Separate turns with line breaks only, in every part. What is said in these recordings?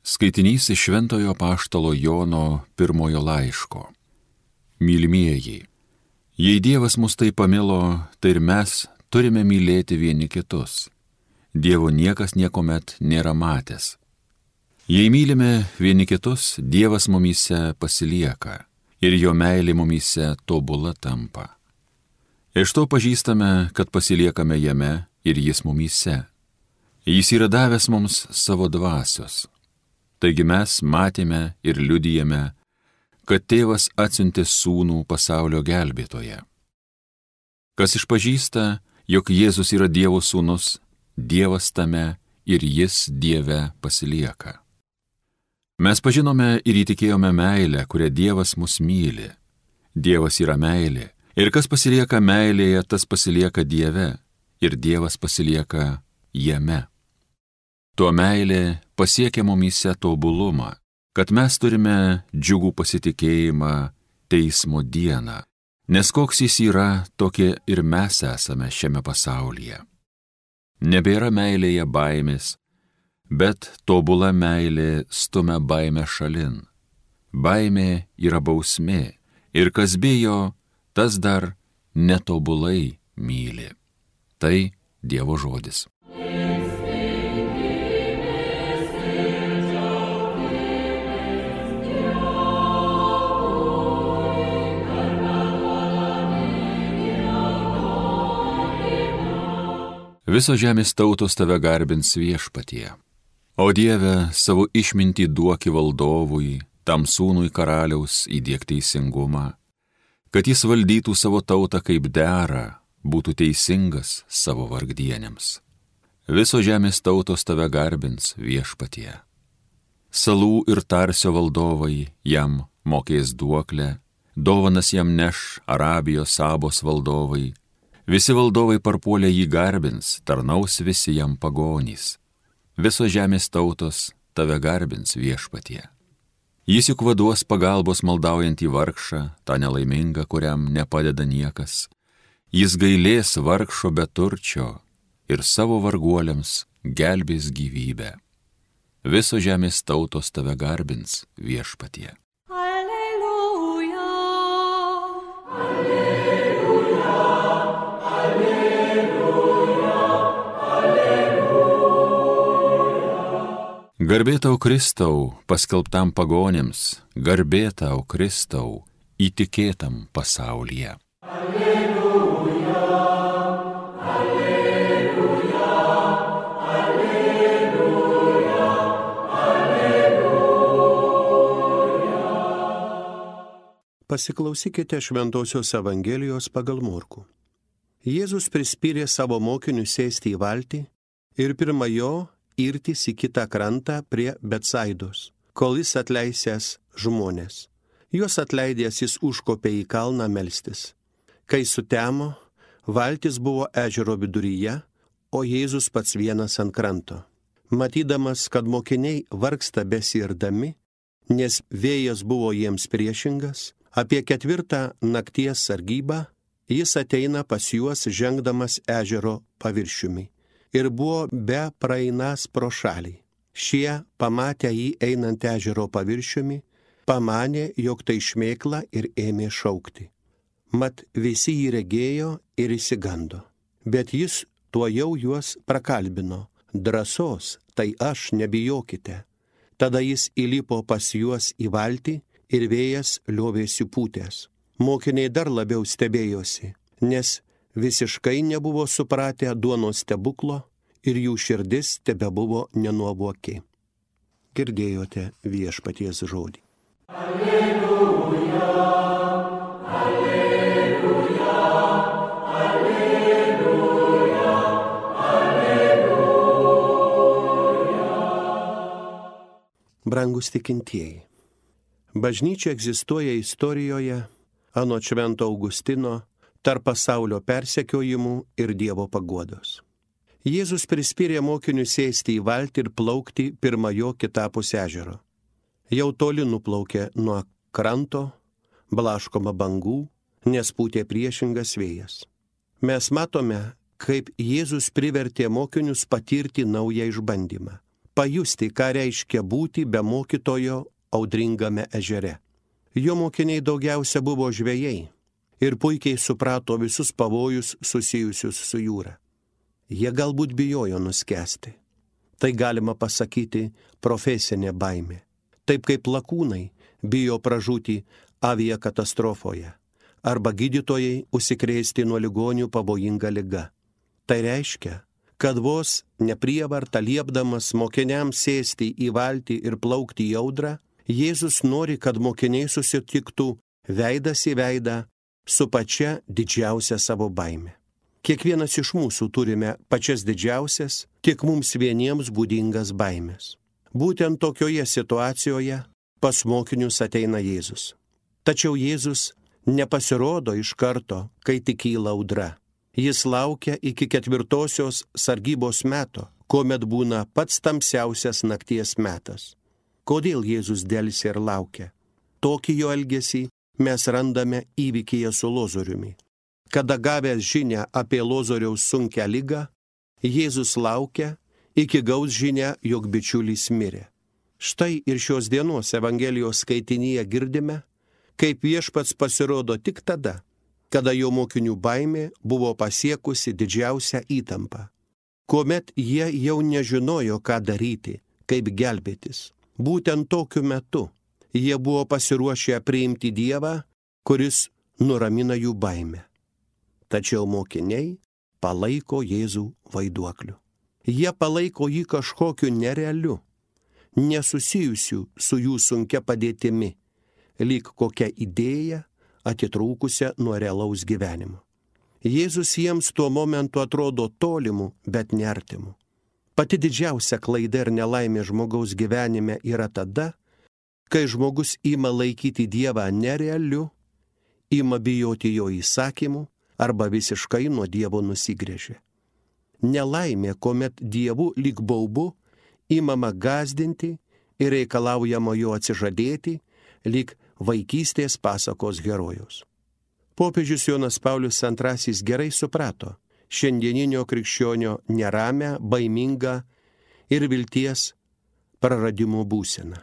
Skaitinys iš Šventojo Apaštalo Jono pirmojo laiško. Mylimieji, jei Dievas mus taip pamilo, tai ir mes turime mylėti vieni kitus. Dievo niekas niekuomet nėra matęs. Jei mylime vieni kitus, Dievas mumyse pasilieka ir jo meilė mumyse tobula tampa. Iš to pažįstame, kad pasiliekame jame ir jis mumyse. Jis yra davęs mums savo dvasios. Taigi mes matėme ir liudijame, kad Tėvas atsiuntė Sūnų pasaulio gelbėtoją. Kas išpažįsta, jog Jėzus yra Dievo Sūnus, Dievas tame ir jis Dieve pasilieka. Mes pažinome ir įtikėjome meilę, kurią Dievas mus myli. Dievas yra meilė, ir kas pasilieka meilėje, tas pasilieka Dieve, ir Dievas pasilieka jame. Tuo meilė pasiekia mumyse tobulumą, kad mes turime džiugų pasitikėjimą teismo dieną, nes koks jis yra, tokie ir mes esame šiame pasaulyje. Nebėra meilėje baimės, bet tobula meilė stumia baimę šalin. Baimė yra bausmė, ir kas bijo, tas dar netobulai myli. Tai Dievo žodis. Visos žemės tautos tave garbins Viešpatie. O Dieve, savo išmintį duoki valdovui, tam sūnui karaliaus įdiek teisingumą, kad jis valdytų savo tautą kaip dera, būtų teisingas savo vargdienėms. Visos žemės tautos tave garbins Viešpatie. Salų ir Tarsio valdovai jam mokės duoklę, dovanas jam neš Arabijos Sabos valdovai. Visi valdovai parpuolę jį garbins, tarnaus visi jam pagonys. Visos žemės tautos tave garbins Viešpatie. Jis juk vaduos pagalbos maldaujantį vargšą, tą nelaimingą, kuriam nepadeda niekas. Jis gailės vargšo beturčio ir savo varguoliams gelbės gyvybę. Visos žemės tautos tave garbins Viešpatie. Garbė tau Kristau, paskelbtam pagonėms, garbė tau Kristau, įtikėtam pasaulyje. Alleluja, alleluja, alleluja, alleluja.
Pasiklausykite Šventosios Evangelijos pagal Morkų. Jėzus prispyrė savo mokinius sėsti į valtį ir pirma jo irtis į kitą krantą prie Betsaidos, kol jis atleisęs žmonės. Juos atleidęs jis užkopė į kalną melstis. Kai sutemo, valtis buvo ežero viduryje, o Jėzus pats vienas ant kranto. Matydamas, kad mokiniai vargsta besirdami, nes vėjas buvo jiems priešingas, apie 4 nakties sargybą jis ateina pas juos žengdamas ežero paviršiumi. Ir buvo be praeinas pro šalį. Šie, pamatę jį einant ežero paviršiumi, pamanė, jog tai šmėkla ir ėmė šaukti. Mat visi jį regėjo ir išsigando. Bet jis tuojau juos prakalbino. Drąsos, tai aš, nebijokite. Tada jis įlipo pas juos į valtį ir vėjas liovėsi pūtęs. Mokiniai dar labiau stebėjosi, nes visiškai nebuvo supratę duonos stebuklo ir jų širdis tebebuvo nenuovoki. Girdėjote Viešpaties žodį. Alleluja, alleluja, alleluja, alleluja. Brangus tikintieji, bažnyčia egzistuoja istorijoje, anot Švento Augustino, tarp pasaulio persekiojimų ir Dievo paguodos. Jėzus prispyrė mokinius sėsti į valtį ir plaukti pirma jo kitapus ežero. Jau toli nuplaukė nuo kranto, blaškoma bangų, nes pūtė priešingas vėjas. Mes matome, kaip Jėzus privertė mokinius patirti naują išbandymą. pajusti, ką reiškia būti be mokytojo audringame ežere. Jo mokiniai daugiausia buvo žvejai ir puikiai suprato visus pavojus susijusius su jūra. Jie galbūt bijojo nuskesti. Tai galima pasakyti profesinė baimė. Taip kaip lakūnai bijo pražūti aviakatastrofoje arba gydytojai užsikrėsti nuo ligonių pavojinga liga. Tai reiškia, kad vos neprievarta liepdamas mokiniams sėsti į valtį ir plaukti į audrą, Jėzus nori, kad mokiniai susitiktų veidas į veidą su pačia didžiausia savo baime. Kiekvienas iš mūsų turime pačias didžiausias, tik mums vieniems būdingas baimės. Būtent tokioje situacijoje pas mokinius ateina Jėzus. Tačiau Jėzus nepasirodo iš karto, kai tik kyla audra. Jis laukia iki 4-osios sargybos meto, kuomet būna pats tamsiausias nakties metas. Kodėl Jėzus delsia ir laukia? Tokį jo elgesį mes randame įvykyje su Lozoriumi. Kada gavęs žinią apie Lozoriaus sunkią ligą, Jėzus laukia, iki gaus žinią, jog bičiulis mirė. Štai ir šios dienos Evangelijos skaitinyje girdime, kaip Viešpats pasirodo tik tada, kada jo mokinių baimė buvo pasiekusi didžiausią įtampą, kuomet jie jau nežinojo, ką daryti, kaip gelbėtis. Būtent tokiu metu jie buvo pasiruošę priimti Dievą, kuris nuramina jų baimę. Tačiau mokiniai palaiko Jėzų vaiduokliu. Jie palaiko jį kažkokiu nerealiu, nesusijusiu su jų sunkia padėtimi, lyg kokia idėja atitrūkusia nuo realaus gyvenimo. Jėzus jiems tuo momentu atrodo tolimu, bet neartimu. Pati didžiausia klaida ir nelaimė žmogaus gyvenime yra tada, kai žmogus ima laikyti Dievą nerealiu, ima bijoti jo įsakymų arba visiškai nuo Dievo nusigręžia. Nelaimė, kuomet Dievu lyg baubu imama gąsdinti ir reikalaujama jo atsižadėti, lyg vaikystės pasakos herojus. Popiežius Jonas Paulius II gerai suprato šiandieninio krikščionio neramę, baimingą ir vilties praradimo būseną.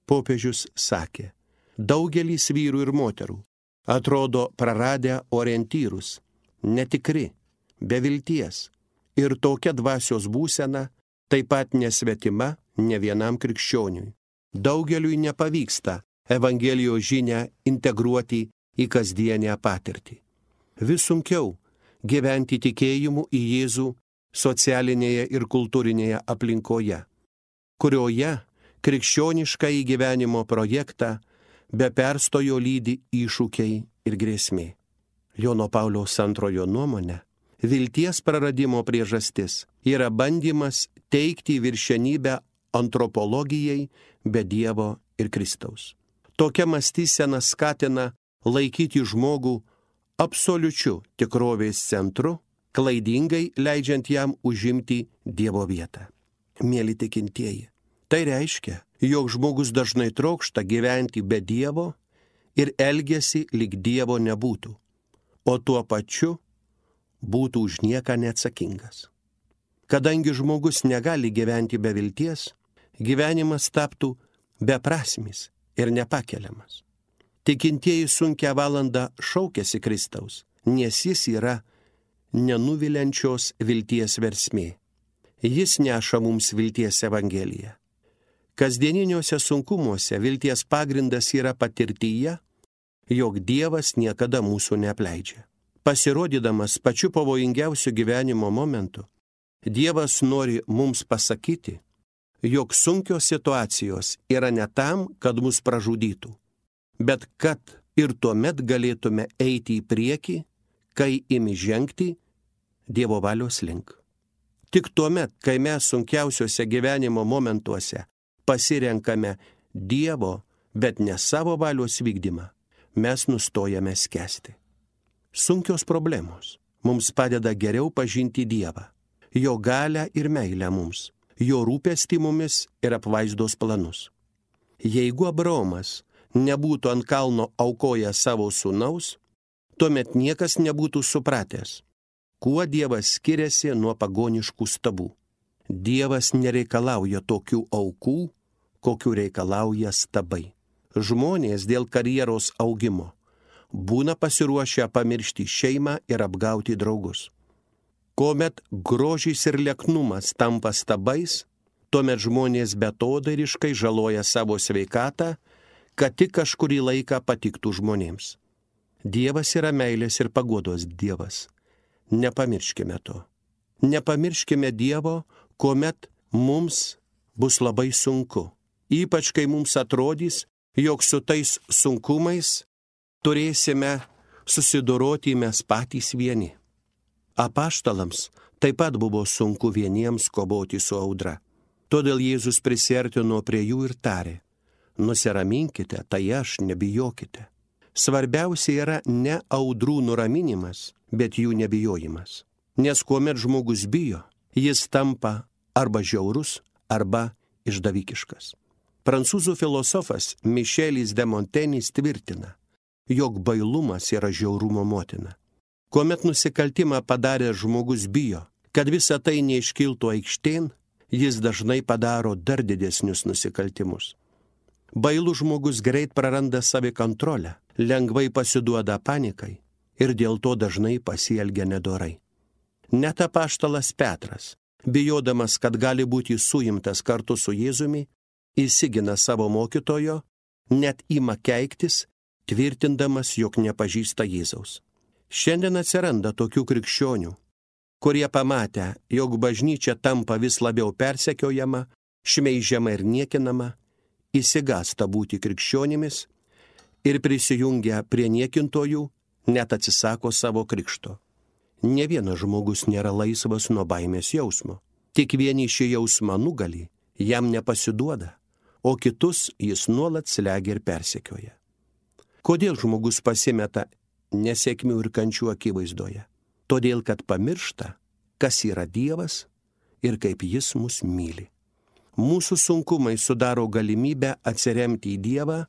Popiežius sakė, daugelis vyrų ir moterų atrodo praradę orientyrus, netikri, be vilties, ir tokia dvasios būsena taip pat nesvetima ne vienam krikščioniui. Daugeliui nepavyksta Evangelijos žinią integruoti į kasdienę patirtį. Vis sunkiau gyventi tikėjimu į Jėzų socialinėje ir kultūrinėje aplinkoje, kurioje krikščionišką gyvenimo projektą be perstojo lydi iššūkiai ir grėsmė. Jono Pauliaus II nuomone, vilties praradimo priežastis yra bandymas teikti viršenybę antropologijai be Dievo ir Kristaus. Tokia mąstysena skatina laikyti žmogų absoliučiu tikrovės centru, klaidingai leidžiant jam užimti Dievo vietą. Mieli tikintieji, tai reiškia, jog žmogus dažnai trokšta gyventi be Dievo ir elgiasi lyg Dievo nebūtų, o tuo pačiu būtų už nieką neatsakingas. Kadangi žmogus negali gyventi be vilties, gyvenimas taptų beprasmis ir nepakeliamas. Tikintieji sunkią valandą šaukiasi Kristaus, nes jis yra nenuviliančios vilties versmė. Jis neša mums vilties Evangeliją. Kasdieniniuose sunkumuose vilties pagrindas yra patirtyje, jog Dievas niekada mūsų neapleidžia. Pasirodydamas pačiu pavojingiausiu gyvenimo momentu, Dievas nori mums pasakyti, jog sunkios situacijos yra ne tam, kad mus pražudytų, bet kad ir tuomet galėtume eiti į priekį, kai imi žengti Dievo valios link. Tik tuomet, kai mes sunkiausiuose gyvenimo momentuose pasirenkame Dievo, bet ne savo valios vykdymą, mes nustojame skęsti. Sunkios problemos mums padeda geriau pažinti Dievą, jo galią ir meilę mums, jo rūpestį mumis ir apvaizdos planus. Jeigu Abraomas nebūtų ant kalno aukojęs savo sūnaus, tuomet niekas nebūtų supratęs, kuo Dievas skiriasi nuo pagoniškų stabų. Dievas nereikalauja tokių aukų, kokių reikalauja stabai. Žmonės dėl karjeros augimo būna pasiruošę pamiršti šeimą ir apgauti draugus. Kuomet grožis ir lieknumas tampa stabais, tuomet žmonės beatodairiškai žaloja savo sveikatą, kad tik kažkurį laiką patiktų žmonėms. Dievas yra meilės ir paguodos Dievas. Nepamirškime to. Nepamirškime Dievo, kuomet mums bus labai sunku. Ypač kai mums atrodys, jog su tais sunkumais turėsime susidoroti mes patys vieni. Apaštalams taip pat buvo sunku vieniems kovoti su audra. Todėl Jėzus prisiartino prie jų ir tarė: nusiraminkite, tai aš, nebijokite. Svarbiausia yra ne audrų nuraminimas, bet jų nebijojimas. Nes kuomet žmogus bijo, jis tampa arba žiaurus, arba išdavikiškas. Prancūzų filosofas Mišelis de Montenis tvirtina, jog bailumas yra žiaurumo motina. Kuomet nusikaltimą padaręs žmogus bijo, kad visa tai neiškiltų aikštėn, jis dažnai padaro dar didesnius nusikaltimus. Bailus žmogus greit praranda savikontrolę, lengvai pasiduoda panikai ir dėl to dažnai pasielgia nedorai. Net apaštalas Petras, bijodamas, kad gali būti suimtas kartu su Jėzumi, įsigina savo mokytojo, net ima keiktis, tvirtindamas, jog nepažįsta Jėzaus. Šiandien atsiranda tokių krikščionių, kurie pamatę, jog bažnyčia tampa vis labiau persekiojama, šmeižiama ir niekinama, įsigąsta būti krikščionimis ir prisijungia prie niekintojų, net atsisako savo krikšto. Ne vienas žmogus nėra laisvas nuo baimės jausmo. Tik vieni šį jausmą nugali, jam nepasiduoda, o kitus jis nuolat slegia ir persekioja. Kodėl žmogus pasimeta nesėkmių ir kančių akivaizdoje? Todėl, kad pamiršta, kas yra Dievas ir kaip jis mus myli. Mūsų sunkumai sudaro galimybę atsiremti į Dievą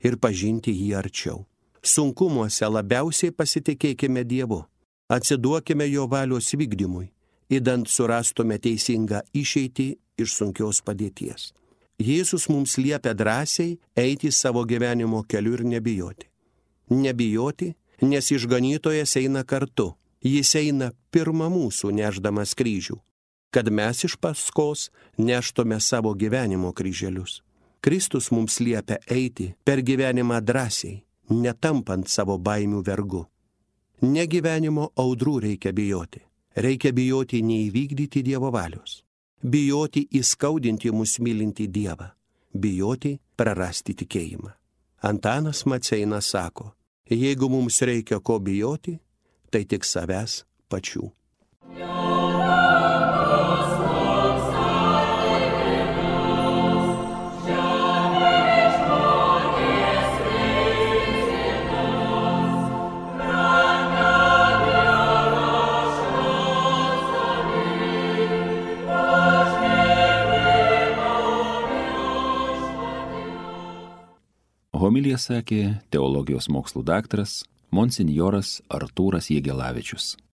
ir pažinti jį arčiau. Sunkumuose labiausiai pasitikėkime Dievu, atsiduokime jo valios vykdymui, idant surastume teisingą išeitį iš sunkios padėties. Jėzus mums liepia drąsiai eiti savo gyvenimo keliu ir nebijoti. Nebijoti, nes išganytojas eina kartu. Jis eina pirma mūsų nešdamas kryžių, kad mes iš paskos neštume savo gyvenimo kryželius. Kristus mums liepia eiti per gyvenimą drąsiai, netampant savo baimių vergu. Ne gyvenimo audrų reikia bijoti. Reikia bijoti neįvykdyti Dievo valios. Bijoti įskaudinti mus mylinti Dievą. Bijoti prarasti tikėjimą. Antanas Maceinas sako, jeigu mums reikia ko bijoti, tai tik savęs pačių.
Homiliją sakė teologijos mokslų daktaras monsinjoras Artūras Jegelavičius.